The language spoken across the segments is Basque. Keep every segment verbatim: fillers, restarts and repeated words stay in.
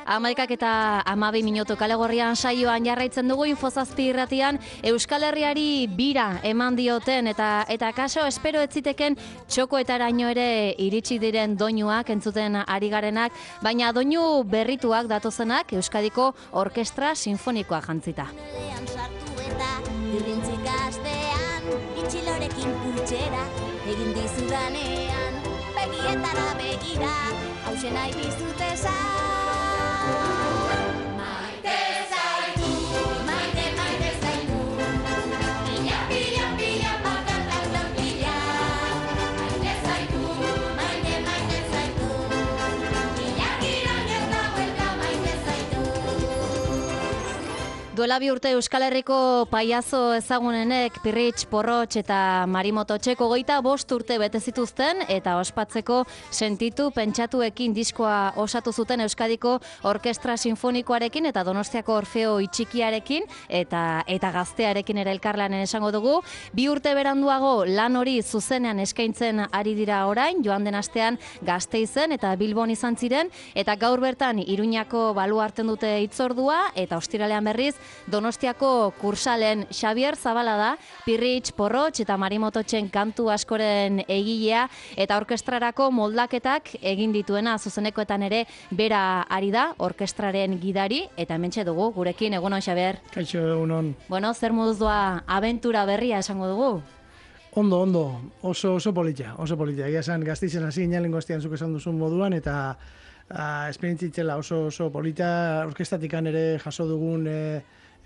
Hamaikak eta hamabi minutu Kalegorrian saioan jarraitzen dugu Infozazpi irratian Euskal Herriari bira eman dioten eta eta kaso espero ez ziteken txokoetaraino ere iritsi diren doinuak entzuten ari garenak, baina doinu berrituak datozenak Euskadiko Orkestra Sinfonikoa jantzita. Itxilorekin pultsera egin dizudanean begietara begira hausen nahi dizut esan. Maite zaitu, maite, maite zaitu, pila, pila, pila, pakatak pila. Maite zaitu, maite, maite zaitu, pila, pila, gerta buelta, maite zaitu. Duela bi urte Euskal Herriko paiazo ezagunenek Pirritx, Porrotx eta Marimototxek hogeita bost urte bete zituzten eta ospatzeko sentitu pentsatuekin diskoa osatu zuten Euskadiko Orkestra Sinfonikoarekin eta Donostiako Orfeo Itxikiarekin eta eta gaztearekin ere elkarlanen esango dugu. Bi urte beranduago lan hori zuzenean eskaintzen ari dira orain, joan den astean Gasteizen eta Bilbon izan ziren eta gaur bertan Iruñako baluarten dute hitzordua eta ostiralean berriz Donostiako Kursalen Xabier Zabala da, Pirritx, Porrotx eta Marimototxen kantu askoren egilea eta orkestrarako moldaketak egin dituena zuzenekoetan ere bera ari da, orkestraren gidari eta hementxe dugu gurekin. Egunon, Xabier. Kaixo, egunon. Bueno, zer moduz doa abentura berria esango dugu? Ondo, ondo, oso, oso politia, oso politia. Egia esan Gasteizen hasi ginen lehengo astean zuk esan duzun moduan eta uh, esperientzitzela oso, oso politia. Orkestatikan ere jaso dugun e,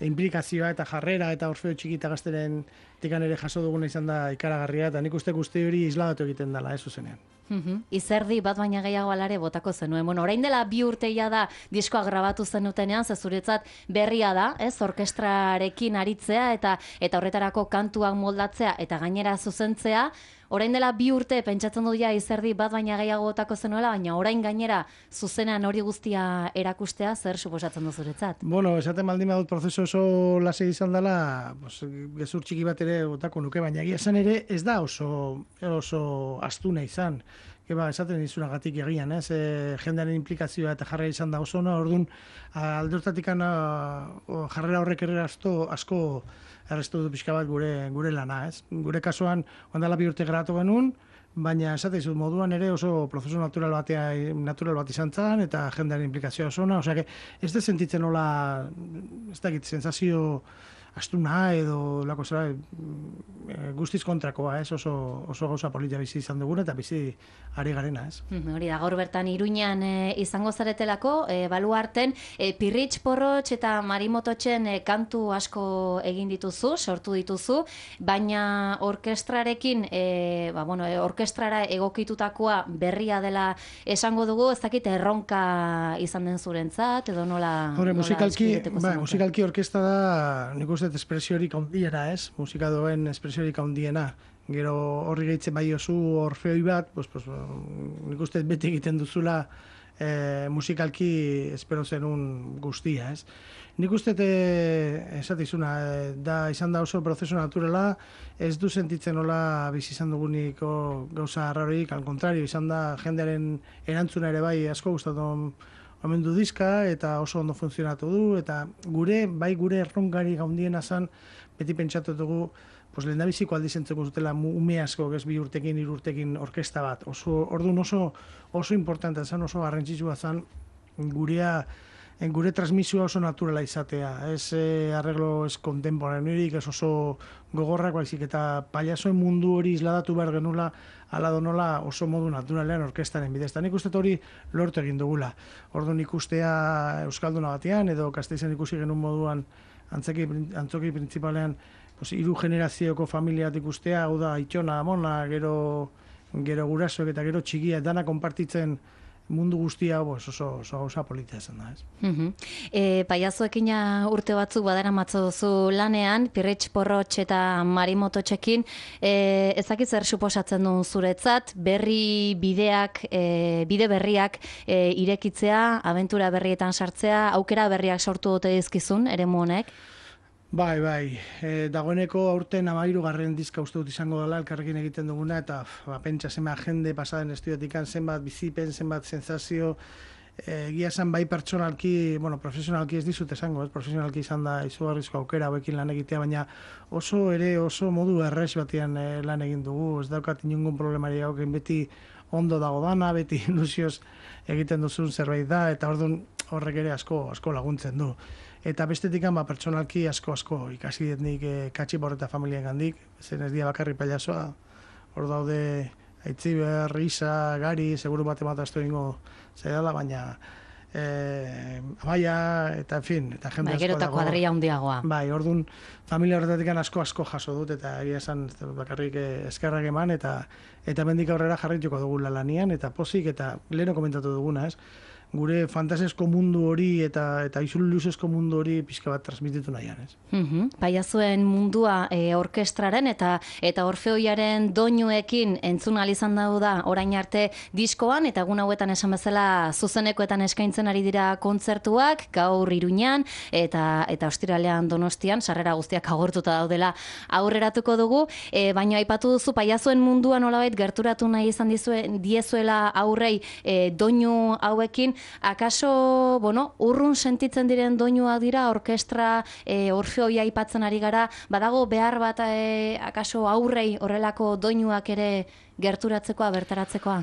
implikazioa eta jarrera eta Orfeo Txiki eta Gazteren tikan ere jaso duguna izan da ikaragarria eta nik uste guzti hori isladatu egiten dela, ez zuzenean. Uhum. Izerdi bat baina gehiago alare botako zenuen. Bueno, orain dela bi urteia da diskoa grabatu zenutenean, ze zuretzat berria da, ez? Orkestrarekin aritzea eta eta horretarako kantuak moldatzea eta gainera zuzentzea. Orain dela bi urte pentsatzen dut ja Izerdi bat baina gehiago botako zenuela, baina orain gainera zuzenean hori guztia erakustea zer suposatzen du zuretzat? Bueno, esaten baldin badut prozesu oso lasai izan dela, pues, gezur txiki bat ere botako nuke, baina egia esan ere ez da oso, oso astuna izan. Eba, esaten dizunagatik egian, ez? E, jendearen implikazioa eta jarrera izan da oso ona, orduan aldortatik jarrera horrek ere asko, asko errestu du pixka bat gure, gure lana, ez? Gure kasuan, ondala bi urte grabatu genuen, baina esate izut moduan ere oso prozesu natural, batea, natural bat izan zan, eta jendearen implikazioa oso ona, osea, ez da sentitzen nola, ez dakit, sensazio astuna edo lako zera guztiz kontrakoa, ez? Oso, oso gauza politia bizi izan duguna eta bizi ari garena, ez? Hori da, gaur bertan Iruñan e, izango zaretelako, e, baluarten, e, Pirritx, Porrotx eta Marimototxen e, kantu asko egin dituzu, sortu dituzu, baina orkestrarekin, e, ba, bueno, e, orkestrara egokitutakoa berria dela esango dugu, ez dakit erronka izan den zurentzat, edo nola... Hore, musikalki, ba, musikalki orkestra da, nik uste espresiorik handiena, ez? Musika doen espresiorik handiena. Gero horri gehitzen bai oso orfeoi bat, pues, pues, nik uste beti egiten duzula e, musikalki espero zenun guztia, ez? Nik uste esatizuna, e, da izan da oso prozesu naturala, ez du sentitzen nola bizi izan duguniko gauza arraroik, al contrario, izan da jendearen erantzuna ere bai asko gustatu omen du diska eta oso ondo funtzionatu du eta gure, bai gure erronkari gaundiena zan, beti pentsatu dugu, pues lehendabiziko aldiz entzeko zutela ume asko, ez bi urtekin, hiru urtekin orkesta bat. Oso, orduan oso, oso importantea zan, oso garrantzitsua zan gurea, gure transmisioa oso naturala izatea. Ez eh, arreglo ez kontemporaneorik, ez oso gogorrak, baizik eta pailazoen mundu hori isladatu behar genula, ala donola oso modu naturalean orkestaren bidez. Eta nik uste hori lortu egin dugula. Orduan ikustea Euskalduna batean, edo Gasteizen ikusi genuen moduan antzeki, antzoki printzipalean pues, hiru generazioko familiat ikustea, hau da, itxona, amona, gero, gero gurasoek eta gero txikia, dana konpartitzen mundu guztia pues, oso, oso gauza politia izan da, ez? Uh-huh. E, Paiazoekin urte batzuk badara matzo duzu lanean, Pirritx Porrotx eta Marimototxekin, e, ezakit zer suposatzen duen zuretzat, berri bideak, e, bide berriak e, irekitzea, abentura berrietan sartzea, aukera berriak sortu dute dizkizun, eremu honek? Bai, bai, e, dagoeneko aurten amairu garren dizka uste dut izango dela elkarrekin egiten duguna, eta ba, pentsa zenbat jende pasaden estudiotik, zenbat bizipen, zenbat sensazio, egia esan bai pertsonalki, bueno, profesionalki ez dizut esango, ez? Profesionalki izan da izugarrizko aukera hauekin lan egitea, baina oso ere oso modu erres batean e, lan egin dugu, ez daukat inungun problemari hauken, beti ondo dago dana, beti ilusioz egiten duzun zerbait da, eta orduan horrek ere asko asko laguntzen du. Eta bestetik ba, pertsonalki asko asko ikasi diet nik e, Katxipor eta familien gandik, zen ez dia bakarri pailazoa, hor daude Aitziber, Risa, Gari, seguru bat emataztu egingo zaidala, baina e, Amaia, eta en fin, eta jende bai, asko dago. Gero eta kuadria handiagoa. Bai, orduan familia horretatik asko asko jaso dut, eta egia esan bakarrik eskerrak eman, eta eta mendik aurrera jarrituko dugu lanian, eta pozik, eta leheno komentatu duguna, ez? Gure fantasiasko mundu hori eta eta ilusiosko mundu hori pixka bat transmititu nahian, ez? Uh-huh. Paiazuen mundua e, orkestraren eta eta Orfeoiaren doinuekin entzun ahal izan dago da orain arte diskoan, eta egun hauetan esan bezala zuzenekoetan eskaintzen ari dira kontzertuak, gaur Iruñan eta eta ostiralean Donostian, sarrera guztiak agortuta daudela aurreratuko dugu, e, baina aipatu duzu Paiazuen mundua nolabait gerturatu nahi izan dizue, diezuela aurrei e, doinu hauekin. Akaso, bueno, urrun sentitzen diren doinuak dira, orkestra e, Orfeoia aipatzen ari gara, badago behar bat e, akaso aurrei horrelako doinuak ere gerturatzekoa, bertaratzekoa?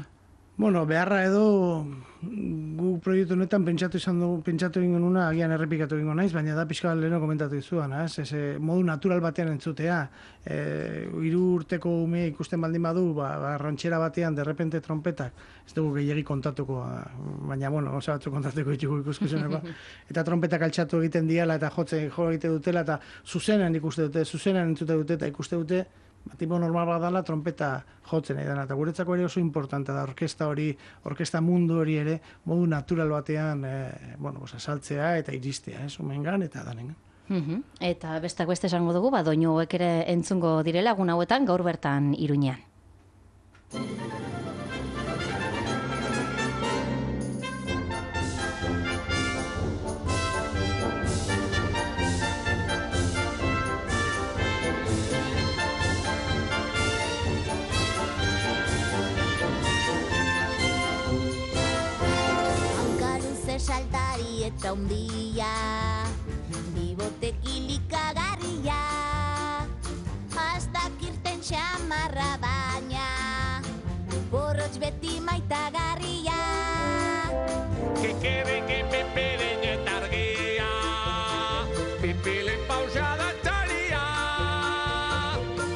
Bueno, beharra edo gu proiektu honetan pentsatu izan dugu, pentsatu egingo nuna, agian errepikatu egingo naiz, baina da pixka leheno komentatu izuan, ez? Ez, modu natural batean entzutea. E, hiru urteko ume ikusten baldin badu, ba, ba rantxera batean derrepente trompetak, ez dugu gehiagi kontatuko, baina, bueno, osa batzu kontatuko ditugu ikuskizuneko, eta trompetak altxatu egiten diala, eta jotzen jo egite dutela, eta zuzenan ikuste dute, zuzenan entzute dute, eta ikuste dute, ba, tipo normal bat dela, trompeta jotzen nahi dena, eta guretzako ere oso importante da, orkesta hori, orkesta mundu hori ere, modu natural batean, e, bueno, pues, asaltzea eta iristea, ez, umengan eta danengan. Uh-huh. Eta bestak beste esango dugu, ba, doinu hauek ere entzungo direla, egun hauetan gaur bertan Iruñean. Saltari eta hundia, bibotek ilikagarria, hastak irten xamarra baina, Porrotx beti maitagarria. Que quede que peperen eta argia, pipilen pausada txalia,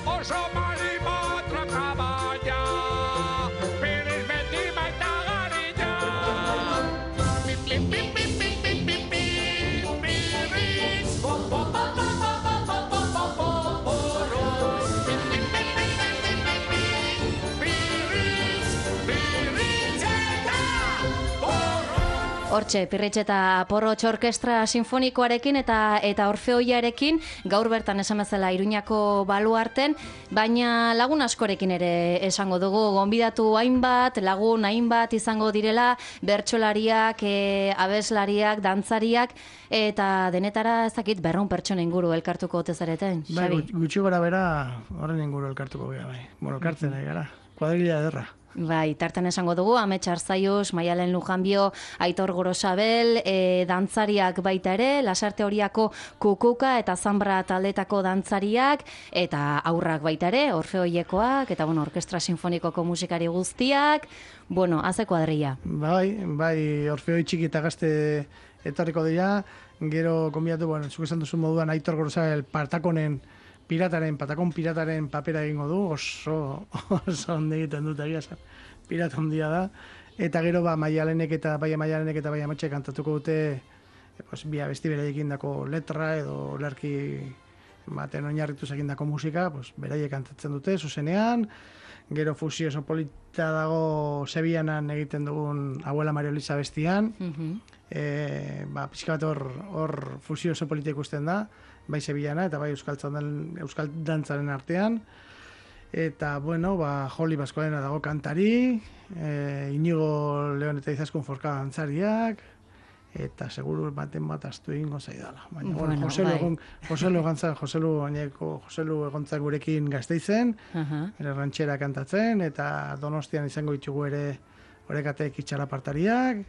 oso marimotra kaballa, Pirritx beti maitagarria. Hortxe, Pirritx eta Porrotx Orkestra Sinfonikoarekin eta eta Orfeoiarekin, gaur bertan esan bezala Iruñako baluarten, baina lagun askorekin ere esango dugu, gonbidatu hainbat, lagun hainbat izango direla, bertsolariak, e, abeslariak, dantzariak, eta denetara ezakit berrehun pertsona inguru elkartuko ote zareten, Bai, Xabi? gutxi gora bera, horren inguru elkartuko gara, bai. Bueno, elkartzen nahi gara, kuadrilla ederra. Bai, tartan esango dugu, Amets Arzaius, Maialen Lujanbio, Aitor Gorosabel, e, dantzariak baita ere, Lasarte Horiako Kukuka eta Zambra taldetako dantzariak, eta aurrak baita ere, Orfeoiekoak, eta bueno, Orkestra Sinfonikoko musikari guztiak, bueno, haze kuadrilla. Bai, bai, Orfeoi txiki eta gazte etorriko dira, gero konbiatu, bueno, zuk esan duzu moduan Aitor Gorosabel Partakonen pirataren, patakon pirataren papera egingo du, oso, oso onde egiten dut egia esan, pirata ondia da, eta gero ba, Maialenek eta bai Maialenek eta bai Ametxe kantatuko dute, e, pues, bi abesti beraiek indako letra edo lerki baten oinarrituz egindako musika, pues, beraiek kantatzen dute, zuzenean, Gero fusio oso polita dago Sevillanan egiten dugun Abuela Maria Luisa bestian, Mhm. e, ba, pixka bat hor, hor fusio oso polita ikusten da, bai Sevillana eta bai Euskal, Txandan, Euskal Dantzaren artean. Eta, bueno, ba, Joli Baskoalena dago kantari, e, Inigo Leon eta Izaskun Forka dantzariak, eta seguru baten bat astu egingo zaidala. Baina, bueno, Bueno, Joselu bai. egon, Joselu egontzak, Joselu gaineko, Joselu egontzak gurekin Gasteizen, Aha. ere rantxera kantatzen, eta Donostian izango ditugu ere orekatek itxalapartariak,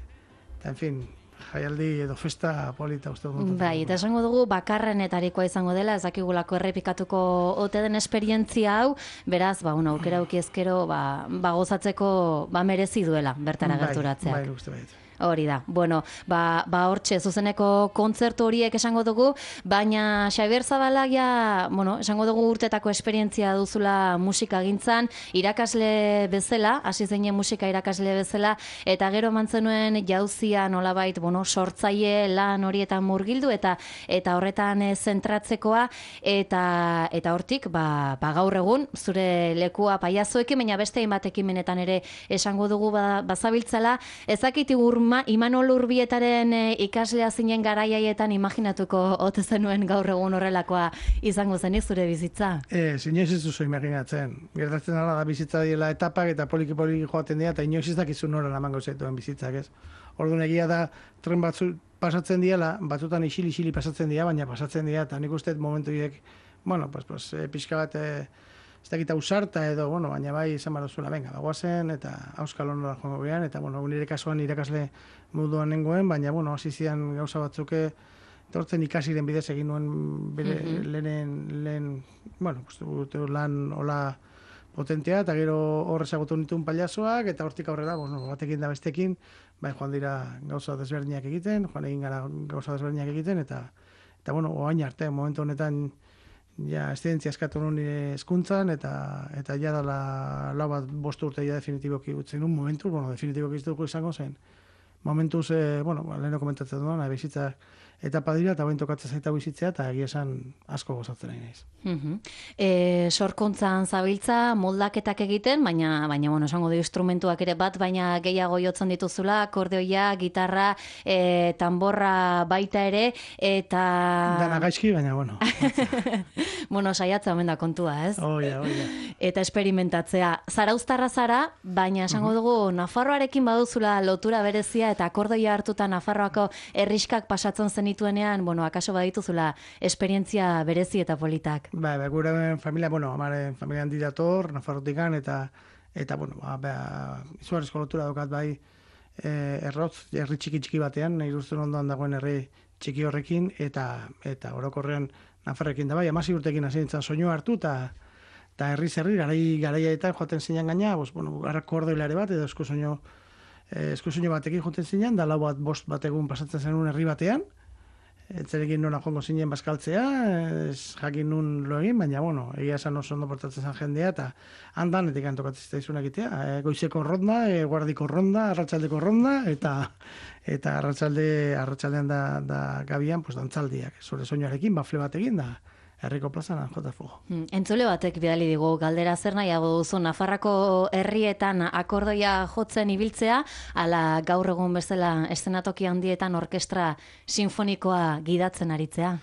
eta, en fin, jaialdi edo festa polita uste dut. Bai, eta esango dugu bakarrenetarikoa izango dela, ez dakigulako errepikatuko ote den esperientzia hau, beraz, ba, bueno, aukera auki ezkero, ba, ba gozatzeko, ba merezi duela bertara gerturatzeak. Bai, bai, uste bait. Hori da. Bueno, ba, ba hortxe zuzeneko kontzertu horiek esango dugu, baina Xabier Zabalak ja, bueno, esango dugu urtetako esperientzia duzula musika gintzan, irakasle bezala, hasi zeinen musika irakasle bezala, eta gero mantzenuen jauzia nolabait, bueno, sortzaile lan horietan murgildu eta eta horretan eh, zentratzekoa, eta eta hortik, ba, ba gaur egun, zure lekua paiazoekin, baina beste hainbat ekimenetan ere esango dugu ba, bazabiltzala, ezakit Ma, Imanol Urbietaren e, ikaslea zinen garaiaietan imaginatuko ote zenuen gaur egun horrelakoa izango zenik zure bizitza? Ez, inoiz ez duzu imaginatzen. Gertatzen dela da bizitza diela etapak eta poliki-poliki joaten dira, eta inoiz ez dakizu nora lamango zaituen bizitzak, ez? Orduan egia da, tren batzu pasatzen diela, batzutan isili-isili pasatzen dira, baina pasatzen dira, eta nik uste momentu horiek, bueno, pues, pues, e, pixka bat, e, ez dakit ausarta edo, bueno, baina bai izan baduzula, venga, bagoazen, eta auskal honora joango gehan, eta, bueno, nire kasuan irakasle moduan nengoen, baina, bueno, hasi zian gauza batzuke, etortzen ikasiren bidez egin nuen bere Mhm. lehen, lehen, bueno, uste lan hola potentea, eta gero horrez agotu nituen paliazoak, eta hortik aurrera, bueno, batekin da bestekin, bai joan dira gauza desberdinak egiten, joan egin gara gauza desberdinak egiten, eta, eta bueno, oain arte, momentu honetan, ja, estidentzia eskatu nuen nire hezkuntzan, eta, eta ja dala lau bat bost urte ja definitiboki utzen un momentu, bueno, definitiboki ez dugu izango zen, momentuz, eh, bueno, leheno komentatzen duan, bizitza etapa dira, eta bain tokatzen zaita bizitzea, eta egia esan asko gozatzen nahi naiz. Mhm. E, sorkuntzan zabiltza, moldaketak egiten, baina, baina bueno, esango du instrumentuak ere bat, baina gehiago jotzen dituzula, akordeoia, gitarra, e, tanborra baita ere, eta... Dana gaizki, baina, bueno. bueno, saiatza omen da kontua, ez? Oia, oia. Eta esperimentatzea. Zarauztarra zara, baina esango dugu Nafarroarekin baduzula lotura berezia eta akordoia hartuta Nafarroako herriskak pasatzen zenituenean, bueno, akaso badituzula esperientzia berezi eta politak. Ba, ba, gure familia, bueno, amaren familian didator, Nafarrotikan, eta, eta bueno, ba, ba, izugarrizko lotura daukat bai, e, errotz, herri txiki txiki batean, nahi duzten ondoan dagoen herri txiki horrekin, eta, eta orokorrean Nafarrekin da bai, amasi urtekin hasi nintzen soinu hartu, eta eta herri zerri, garai garaiaetan joaten zinan gaina, bos, bueno, akordeolare bat, edo eskusoinu, eh, eskusoinu batekin joaten zinan, da lau bat bost bat egun pasatzen zenun herri batean, etzerekin nona joango zinen bazkaltzea, ez jakin nun lo egin, baina, bueno, egia esan oso ondo portatzen zen jendea, eta handan, etik antokatzen zitzaizun egitea, e, goizeko ronda, e, guardiko ronda, arratsaldeko ronda, eta eta arratsalde arratsaldean da, da gabian, pues, dantzaldiak, zure soinuarekin, bafle batekin, da, herriko plazan jota fugo. Hmm, Entzule batek bidali digu, galdera zer nahiago duzu, Nafarrako herrietan akordoia jotzen ibiltzea, ala gaur egun bezala eszenatoki handietan orkestra sinfonikoa gidatzen aritzea?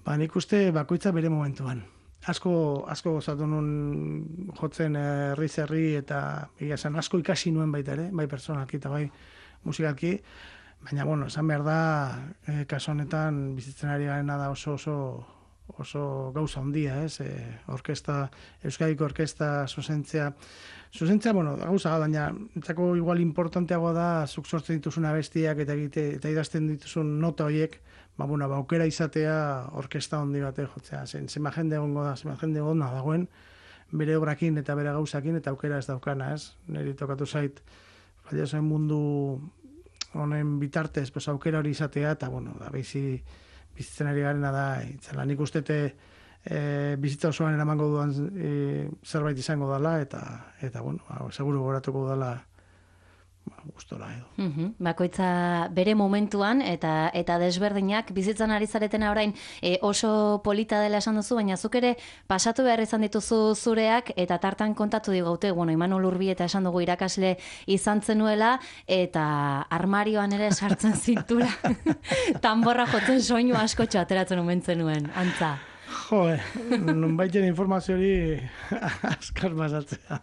Ba, nik uste bakoitza bere momentuan. Asko, asko gozatu nun jotzen herri herri eta egia esan asko ikasi nuen baita ere, bai pertsonalki eta bai musikalki, baina, bueno, esan behar da, eh, kasu honetan bizitzen ari garena da oso oso oso gauza handia, ez? E, orkesta, Euskadiko orkesta zuzentzea, zuzentzea, bueno, gauza, baina entzako igual importanteagoa da zuk sortzen dituzun abestiak eta egite eta idazten dituzun nota horiek, ba, bueno, ba, aukera izatea orkesta handi bate jotzea, zen, zema jende egongo da, zema jende egongo dagoen, bere obrakin eta bere gauzakin eta aukera ez daukana, ez? Neri tokatu zait, paiazoen mundu honen bitartez, pues, aukera hori izatea, eta, bueno, da, bizi, bizitzen ari garena da, itzela, nik ustete e, bizitza osoan eramango duan e, zerbait izango dela, eta, eta bueno, ba, seguru goratuko dela gustora edo. Mhm, bakoitza bere momentuan eta eta desberdinak bizitzan ari zaretena orain e, oso polita dela esan duzu, baina zuk ere pasatu behar izan dituzu zureak eta tartan kontatu digaute, bueno, Imanol Urbieta esan dugu irakasle izan zenuela eta armarioan ere sartzen zintura tanborra jotzen soinu askotxo ateratzen omen zenuen, antza. Jo, nonbaiten informazio hori askar basatzea.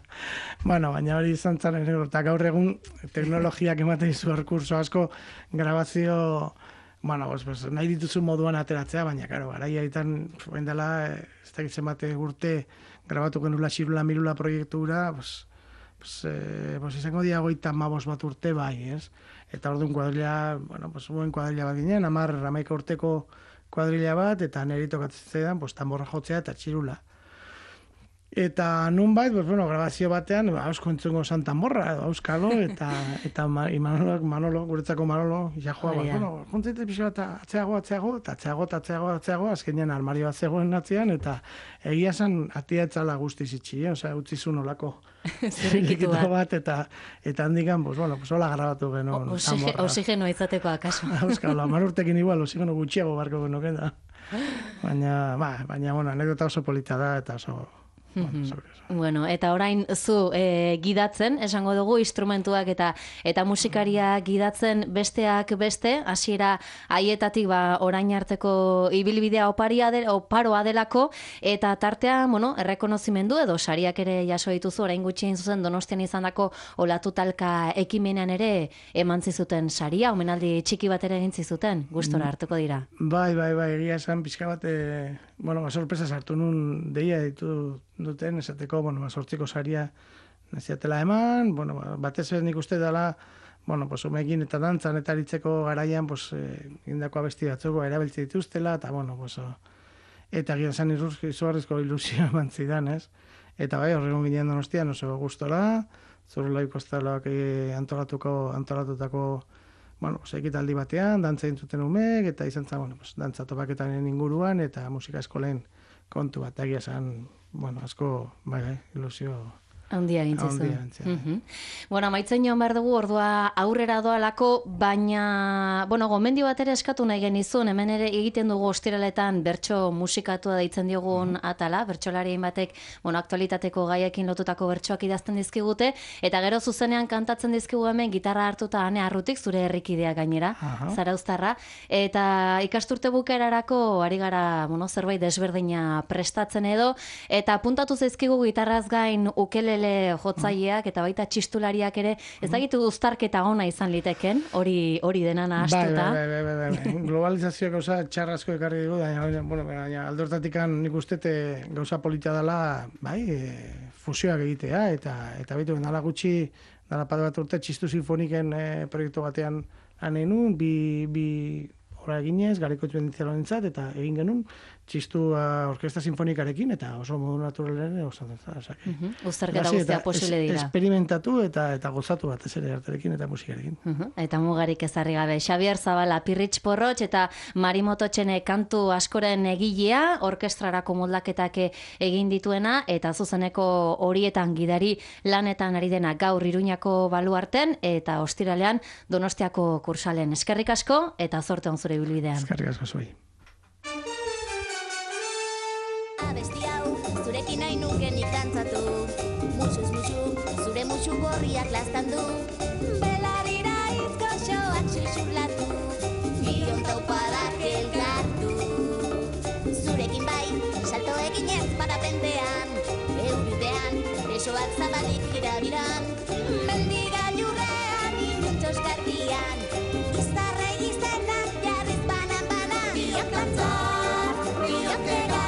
Bueno, baina hori izan zan, eta gaur egun teknologiak ematen izu erkurso asko grabazio, bueno, pues, pues, nahi dituzu moduan ateratzea, baina, karo, garaia itan, bain dela, ez da gitzen bate urte, grabatu genula xirula mirula proiektura, pues, pues, eh, pues izango diagoita mabos bat urte bai, ez? Eta orduan kuadrilla, bueno, pues, buen kuadrilla bat ginen, amar, amaika urteko kuadrilla bat, eta neri tokatzen zaidan, pues, tamborra jotzea eta txirula. Eta nunbait, pues, bueno, grabazio batean, hausko entzungo zan tamborra, edo auskalo, eta, eta Manolo, Manolo, guretzako Manolo, jajoa, bat, bueno, juntzaite pixo bat, atzeago, atzeago, eta atzeago, eta atzeago, atzeago, azkenean armario bat zegoen atzean, eta egia zan atia etzala guztiz itxi, eh? Osea, utzi zuen olako zirrikitu bat, eta, eta handikan, pues, bueno, pues, hola grabatu genuen tamborra. Oxigeno izateko akaso. Auskalo, amar urtekin igual, oxigeno gutxiago barko genuken da. Baina, ba, baina, bueno, anekdota oso polita da, eta oso... Bueno, bueno, eta orain zu e, gidatzen, esango dugu, instrumentuak eta eta musikaria gidatzen besteak beste, hasiera haietatik ba, orain arteko ibilbidea oparia de, oparoa delako, eta tartea, bueno, errekonozimendu edo sariak ere jaso dituzu, orain gutxi egin zuzen Donostian izandako olatu talka ekimenean ere eman zizuten saria, omenaldi txiki bat ere egin zizuten, gustora hartuko dira. Bai, bai, bai, egia esan pixka bat, e, bueno, sorpresa sartu nun deia ditu duten, esateko, bueno, sortziko saria naziatela eman, bueno, batez ez nik uste dela, bueno, pues, umekin eta dantzan eta aritzeko garaian, pues, eh, indako abesti batzuko erabiltze dituztela, eta, bueno, pues, oh, eta gira zan izugarrizko ilusio eman zidan, ez? Eta bai, horregon ginen Donostian oso gustora, Zurrelai Kostalak eh, antolatuko, antolatutako, bueno, pues, ekitaldi batean, dantza intzuten umek, eta izan zen, bueno, pues, dantza topaketaren inguruan, eta musika eskolen kontu bat, egia zen, bueno, asko, bai, bai, ilusio... Handia gintzizu. Handia gintzizu. Mm -hmm. Bueno, amaitzen joan behar dugu, ordua aurrera doalako, baina, bueno, gomendio bat ere eskatu nahi genizun, hemen ere egiten dugu ostiraletan bertso musikatua deitzen diogun mm -hmm. atala, bertsolarien batek, bueno, aktualitateko gaiekin lotutako bertsoak idazten dizkigute, eta gero zuzenean kantatzen dizkigu hemen gitarra hartuta ane arrutik, zure herrikidea gainera, Zarauztarra, eta ikasturte bukaerarako ari gara, bueno, zerbait desberdina prestatzen edo, eta puntatu zaizkigu gitarraz gain ukele jotzaileak eta baita txistulariak ere, ez dakitu uztarketa ona izan liteken, hori hori dena nahastuta. Bai, bai, bai, bai, bai. Globalizazioa gauza txarrazko ekarri dugu, baina, bueno, baina aldortatikan nik ustete gauza polita dela, bai, e, fusioak egitea, eta eta bitu, nala gutxi, nala pade bat urte, txistu sinfoniken e, proiektu batean anenun, bi, bi ora eginez, gareko txuenditzela nintzat, eta egin genuen, txistu uh, orkesta sinfonikarekin, eta oso modu naturalen oso zentzat. Uh -huh. Uztarketa guztia posible dira. Esperimentatu eta eta gozatu bat ez ere arterekin eta musikarekin. Uh -huh. Eta mugarik ezarri gabe. Xabier Zabala, Pirritx Porrotx eta Marimoto Txene kantu askoren egilea, orkestrarako moldaketak egin dituena, eta zuzeneko horietan gidari lanetan ari dena gaur Iruñako baluarten, eta ostiralean Donostiako kursalen. Eskerrik asko, eta zorte on zure ibilbidean. Eskerrik asko zuei. Abesti hau, zurekin nahi nuken ikantzatu. Musuz musu, zure musu gorriak lastandu. Belarira izko xoak xuxurlatu. Bion taupadak elkartu. Zurekin bai, salto eginez parapentean. Euriutean, besoak zabalik jirabiran. Mendigailurrean, inuntxos garbian. Iztarre izenak jarriz banan-banan. Biok lantzar, biok negar.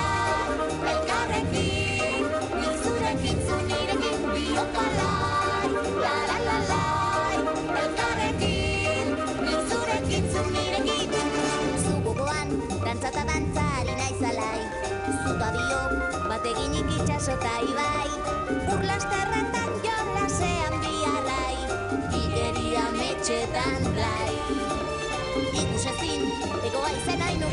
Elkarrekin, nik zurekin zunirekin. Biok alai, la-la-la-lai. Elkarrekin, nik zurekin zunirekin. Zugogoan, dantzata dantzari naizalai. Zuta biok, bateginik itxasota ibai. Urlasterretan jolasean biarrai. Igeria metxetan blai. Ikusezin, egoa izen hainu